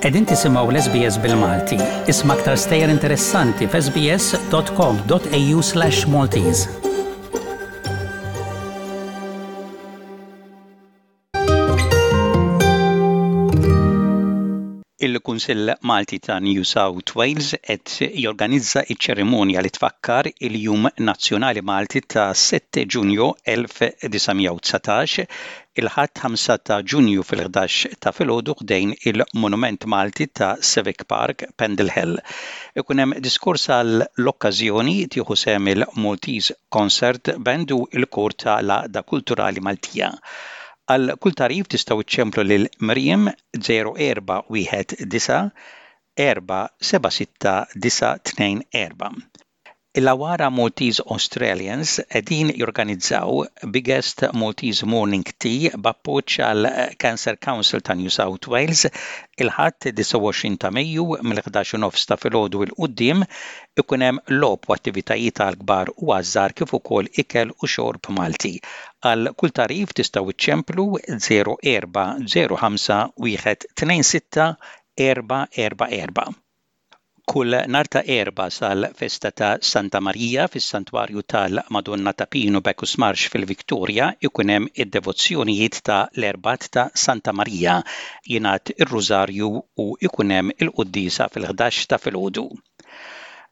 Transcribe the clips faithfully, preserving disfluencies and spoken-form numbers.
Qegħdin tisimgħu l-S B S bil-Malti. Isma' aktar stejjer interessanti f'S B S dot com dot A U slash Maltese. Il-Kunsill Malti ta' New South Wales qed jorganizza iċ-ċerimonja li tfakkar il-Jum Nazzjonali Malti ta' sitta Ġunju elf disa' mija u dsatax il-Ħadd ħamsa ta' Ġunju fil-ħdax ta' filgħodu ħdejn il-Monument Malti ta' Civic Park, Pendle Hill. Ikun hemm diskors għall-okkażjoni, tieħu sehem il-Maltese Concert Band u il-Kor ta' l-Għaqda Kulturali Maltija. Għal kull tagħrif tistgħu iċċemplu lil Miriam żero erba' wieħed disa' erba' seba' sitta disa' tnejn erba'. Il-Awara Maltese Australians qegħdin jorganizzaw Biggest Maltese Morning Tea b'appoġġ għal Cancer Council ta' New South Wales il-Ħadd disgħa u għoxrin ta' Mejju mill-ħdax u nofs ta' filgħodu 'l quddiem. Ikun hemm logħob u attivitajiet għal kbar u għaż-żgħar kif ukoll ikel u xorb Malti. Għal kull tagħrif tistgħu iċċemplu żero erba' żero ħamsa wieħed tnejn sitta erba' erba' erba'. Kull nhar ta' Erbgħa sal-festa ta' Santa Marija fis-Santwarju tal-Madonna ta' Pinu, Bacchus Marsh fil-Victoria ikun hemm id-devozzjonijiet ta' l-Erbgħat ta' Santa Marija, jingħad ir-Rużarju u ikun hemm il-quddiesa fil-ħdax ta' filgħodu.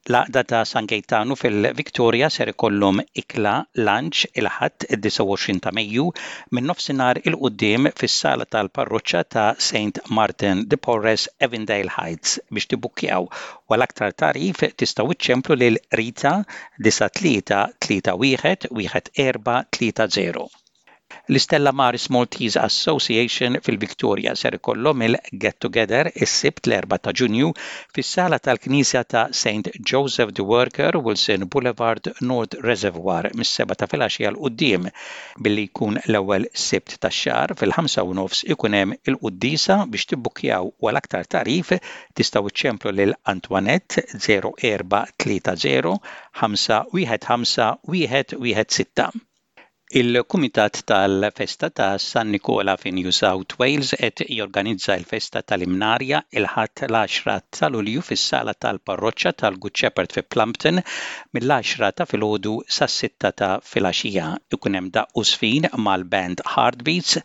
L-Għaqda ta' San Gaetano fil-Victoria ser ikollhom ikla lunch il-Ħadd id-disgħa u għoxrin ta' Mejju minn nofsinhar 'il quddiem fis-sala tal-parroċċa ta' Saint Martin de Porres, Avondale Heights. Biex tibbukkjaw u għal aktar tagħrif tistgħu iċċemplu lil Rita disa' tlieta tlieta wieħed wieħed erba' tlieta żero. L-Istella Maris Maltese Association fil-Victoria ser ikollhom il-Get Together is-Sibt l-erbgħa ta' Ġunju fis-sala tal-Knisja ta' Saint Joseph the Worker, Wilson Boulevard, North Reservoir, mis-seba' ta' filgħaxija 'l quddiem. Billi jkun l-ewwel Sibt tax-xahar, fil-ħamsa u nofs ikun hemm il-quddiesa. Biex tibbukkjaw u għal aktar tagħrif tistgħu iċċemplu lil Antoinette żero erba' tlieta żero ħamsa wieħed ħamsa wieħed wieħed sitta. Il-Kumitat tal-Festa ta' San Nikola fi New South Wales qed jorganizza l-Festa tal-Imnarja il-Ħadd l-għaxra ta' Lulju fis-sala tal-Parroċċa tal-Good Shepherd fi Plumpton mill-għaxra ta' filgħodu sas-sitta ta' filgħaxija. Ikun hemm daqq u żfin mal-band Heartbeats,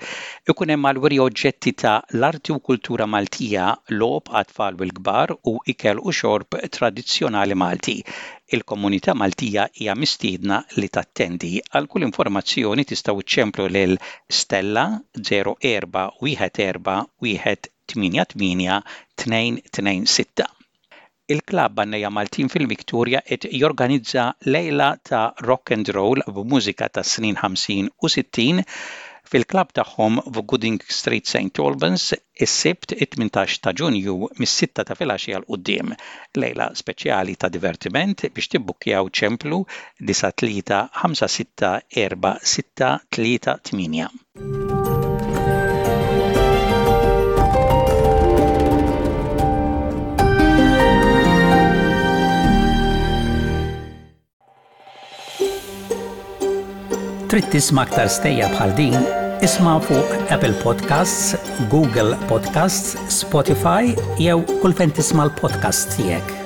ikun hemm għal-wiri oġġetti ta' l-arti u kultura Maltija, logħob għat-tfal u l-kbar u ikel u xorb tradizzjonali Malti. Il-komunità Maltija hija mistiedna li tattendi. Għal kull informazzjoni tistgħu iċċemplu lil Stella żero erba' wieħed erba' wieħed tmienja tmienja tnejn tnejn sitta. Il-Klabb Għannejja Maltin fil-Victoria qed jorganizza lejla ta' rock and roll b'mużika ta' snin ħamsin u sittin fil-klabb tagħhom f'Gooding Street, Saint Albans, is-Sibt it-tmintax ta' Ġunju mis-sitta ta' filgħaxija 'l quddiem. Lejla speċjali ta' divertiment. Biex tibbukkjaw ċemplu disa' tlieta ħamsa sitta erba' sitta tlieta tmienja. Trid tisma' aktar stejjer bħal din? Isma' fuq Apple Podcasts, Google Podcasts, Spotify jew kull fejn tisma' l-podcast tiegħek.